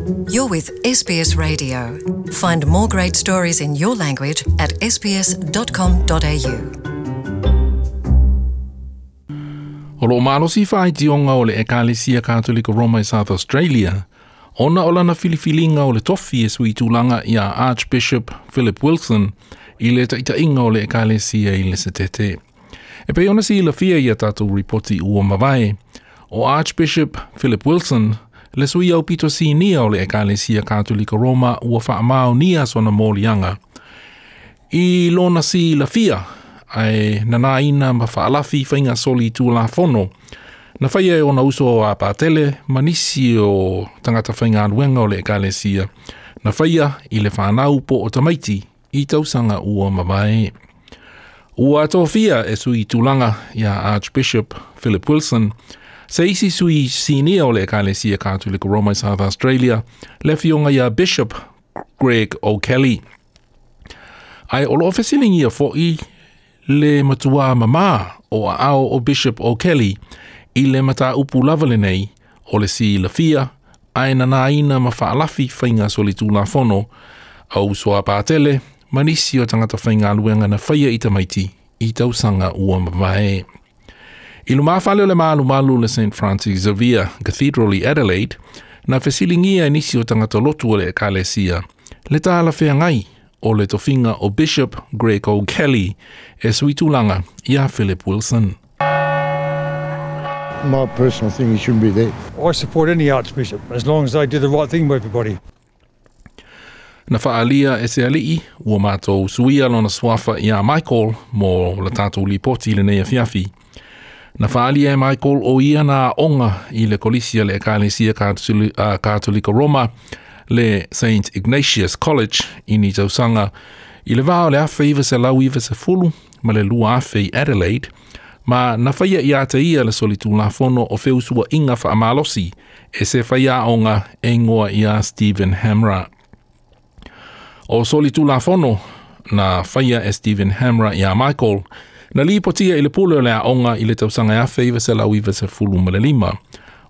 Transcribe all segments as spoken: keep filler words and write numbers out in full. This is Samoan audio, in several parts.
You're with S B S Radio. Find more great stories in your language at s b s dot com dot a u. O lo malosi whaetionga o le Ekalesia Katolika Roma i South Australia, ona o lana filifilinga o le tofi e sui tūlanga ia Archbishop Philip Wilson i le taitainga o le Ekalesia i le setete. E pei ona si lafia ia tātou ripoti ua mavae, o Archbishop Philip Wilson le sui au pito sinia o le Ekalesia Katolika Roma ua whaamao sona molianga. I lona si lafia, ai nana ina ma whaalafi whainga soli tūla fono. Na whaia e ona uso a pātele, manisi o tangata whainga aluenga o le Ekalesia. Na whaia i le whanau po o tamaiti i tausanga ua mavae. Ua tōfia e sui tūlanga ia Archbishop Philip Wilson, se isi sui sinia o le Ekalesia Katolika Roma i South Australia, le fionga ia Bishop Greg O'Kelly. Ai o loo fesilingia fo'i le matua mama o a ao o Bishop O'Kelly i le mata upu lava le nei o le si lafia ai nana ina ma whaalafi whainga soli tūla fono au soa pātele manisi o tangata whainga aluenga na whaia i tamaiti i tausanga ua mavae. I lumawhale o le malu malu le Saint Francis Xavier Cathedral i Adelaide, na fesilingia nisi o tangata lotu o le Ekalesia, le tāla wheangai o le tofinga o Bishop Greg O'Kelly e suitulanga ia Philip Wilson. My personal thing, he shouldn't be there. I support any archbishop as long as they do the right thing by everybody. Na whaalia e se alii, ua mātou suia lona swafa ia Michael mo la tātou lipoti le nei afiafi. Na whaalia e Michael o ia na onga i le kolisia le Ekalesia Katolika Roma le Saint Ignatius College i ni tausanga i le vao le awhe iwa se lau iwa se fulu ma le lua awhe i Adelaide, ma na whaia i ata ia le solitūla fono o feusua inga whaamalosi e se whaia onga e ngoa ia Stephen Hamra. O solitūla fono na whaia e Stephen Hamra ia Michael na lipotia i le pule o le aonga i le tausanga awhe iwa se lau iwa se fulu ma le lima.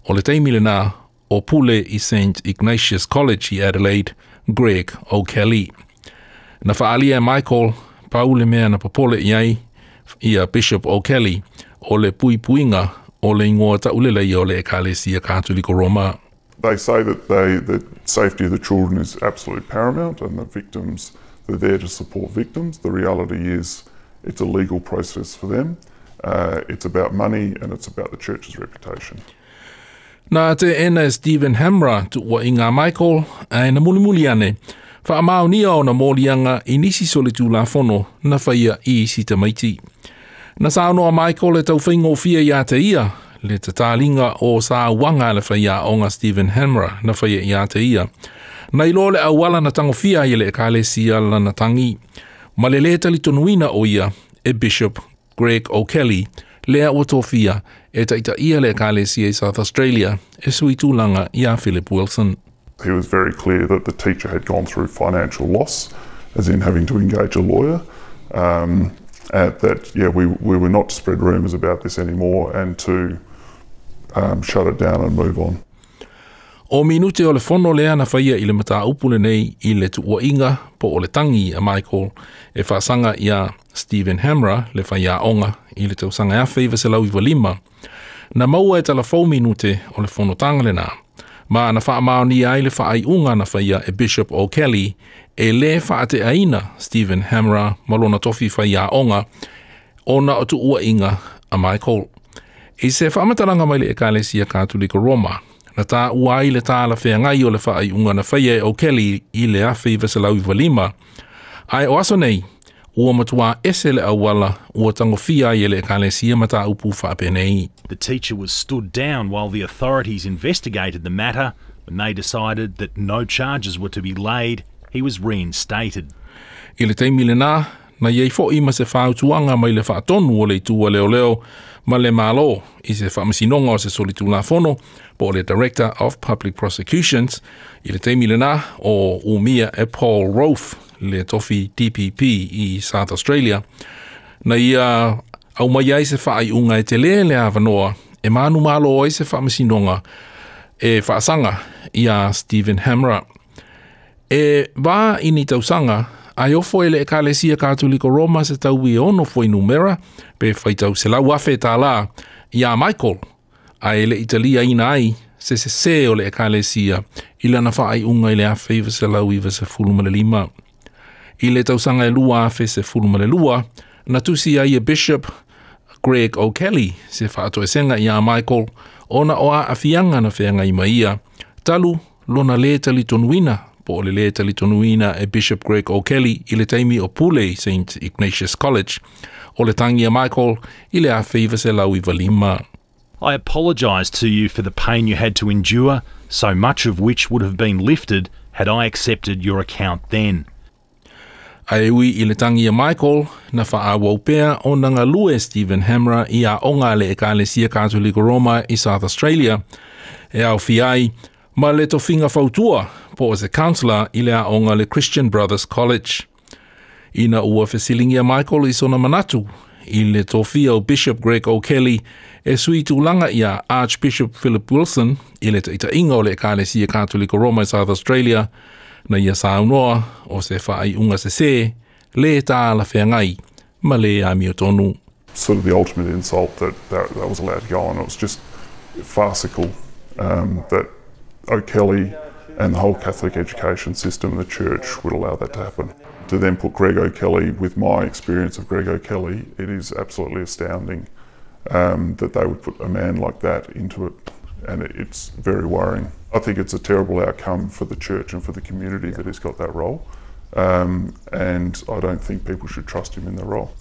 O le teimile na o pule i Saint Ignatius College i Adelaide, Greg O'Kelly. Na whaalia e Michael, paule mea na papole iai ia Bishop O'Kelly o le puipuinga o le ingoa taulele ia o le Ekalesia Katoliko Roma. They say that they, the safety of the children is absolutely paramount and the victims, they're there to support victims. The reality is it's a legal process for them. Uh, it's about money and it's about the church's reputation. Nā te ena e Stephen Hamra tuua i ngā Michael ai na mulimuli ane. Whaamaunia o na mōlianga i nisi soli tūla fono na whaia i isi tamaiti. Na saunoa Michael e tau whaingofia i a te ia, le te tālinga o sā wanga le whaia o ngā Stephen Hamra na whaia i a te ia. Na ilo le awala na tangofia i le Ekalesia lana tangi. Ma le le talitonuina o ia e Bishop Greg O'Kelly lea ua tofia e taita ia le Ekalesia i South Australia e sui tūlanga ia Philip Wilson. He was very clear that the teacher had gone through financial loss, as in having to engage a lawyer, um, and that yeah, we, we were not to spread rumours about this anymore and to um, shut it down and move on. O minute o le fono lea na whaia i le mata upule nei i le tuuainga po o le tangi a Michael e whaasanga ia Stephen Hamra le whaia onga i le tausanga awhe iwa se lau iwa lima. Na maua e tala fau minute o le fono tanga lena. Ma na whaamaoni ai le whaaiunga na whaia e Bishop O'Kelly e le whaate aina Stephen Hamra malona tofi whaia onga ona o tuuainga a Michael. I se whaamatalanga mai le Ekalesia Katolika Roma, na tā uai le tāla wheangai o le whaaiunga na whaia e O'Kelly i le awhe iwa se lau iwa lima. Ai o aso nei, ua matua ese le awala ua tangofia i le Ekalesia mata upu whaapenei. The teacher was stood down while the authorities investigated the matter. When they decided that no charges were to be laid, he was reinstated. I le teimile nā, na iei fo'i ma se whautuanga mai le whaatonu o le itua leo leo ma le malo i se whaamasinonga o se solitūla fono po le Director of Public Prosecutions i le teimile nā o umia e Paul Rofe le tofi D P P i South Australia. Na ia au mai ai se whaaiunga e te lele awanoa e manu malo ai se whaamasinonga e whaasanga iā Stephen Hamra. E va i ni tausaga ae ofo e le Ekalesia Katoliko Roma se taui e ono fuainumera pe faitau selau afe tālā iā Michael ae le'i taliaina ai se sesē o le Ekalesia i lana faaiuga i le afe iva selau iva sefulu ma le lima. I le tausaga e lua afe sefulu ma le lua, na tusi ai e Bishop Greg O'Kelly se faatoesega iā Michael ona o aafiaga na feagai ma ia talu lona lē talitonuina po o le lē talitonuina e Bishop Greg O'Kelly i le taimi o pule i Saint Ignatius College. O le tagi a Michael i le afe iva selau iva lima. I apologise to you for the pain you had to endure, so much of which would have been lifted had I accepted your account then. Ae ui i le tagi a Michael, na faaauau pea ona galue Stephen Hamra i aoga a le Ekalesia Katoliko Roma i South Australia, e aofia ai ma le tofiga fautua po o se counsellor i le aoga le Christian Brothers College. Ina ua fesiligia Michael i sona manatu i le tofia o Bishop Greg O'Kelly e sui tulaga iā Archbishop Philip Wilson i le taitaiga o le Ekalesia Katoliko Roma i South Australia, na ia saunoa o se faaiuga sesē lē talafeagai ma lē amiotonu. Sort of the ultimate insult that, that that was allowed to go on. It was just farcical um, that O'Kelly and the whole Catholic education system and the church would allow that to happen. To then put Greg O'Kelly, with my experience of Greg O'Kelly, it is absolutely astounding um, that they would put a man like that into it, and it, it's very worrying. I think it's a terrible outcome for the church and for the community that he's got that role, um, and I don't think people should trust him in the role.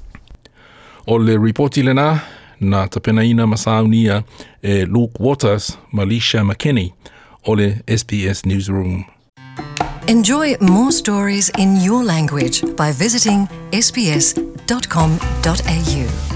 O le ripoti lena na tapenaina ma saunia e Luke Waters ma Lisha McKinney o le S B S Newsroom. Enjoy more stories in your language by visiting S B S dot com dot A U.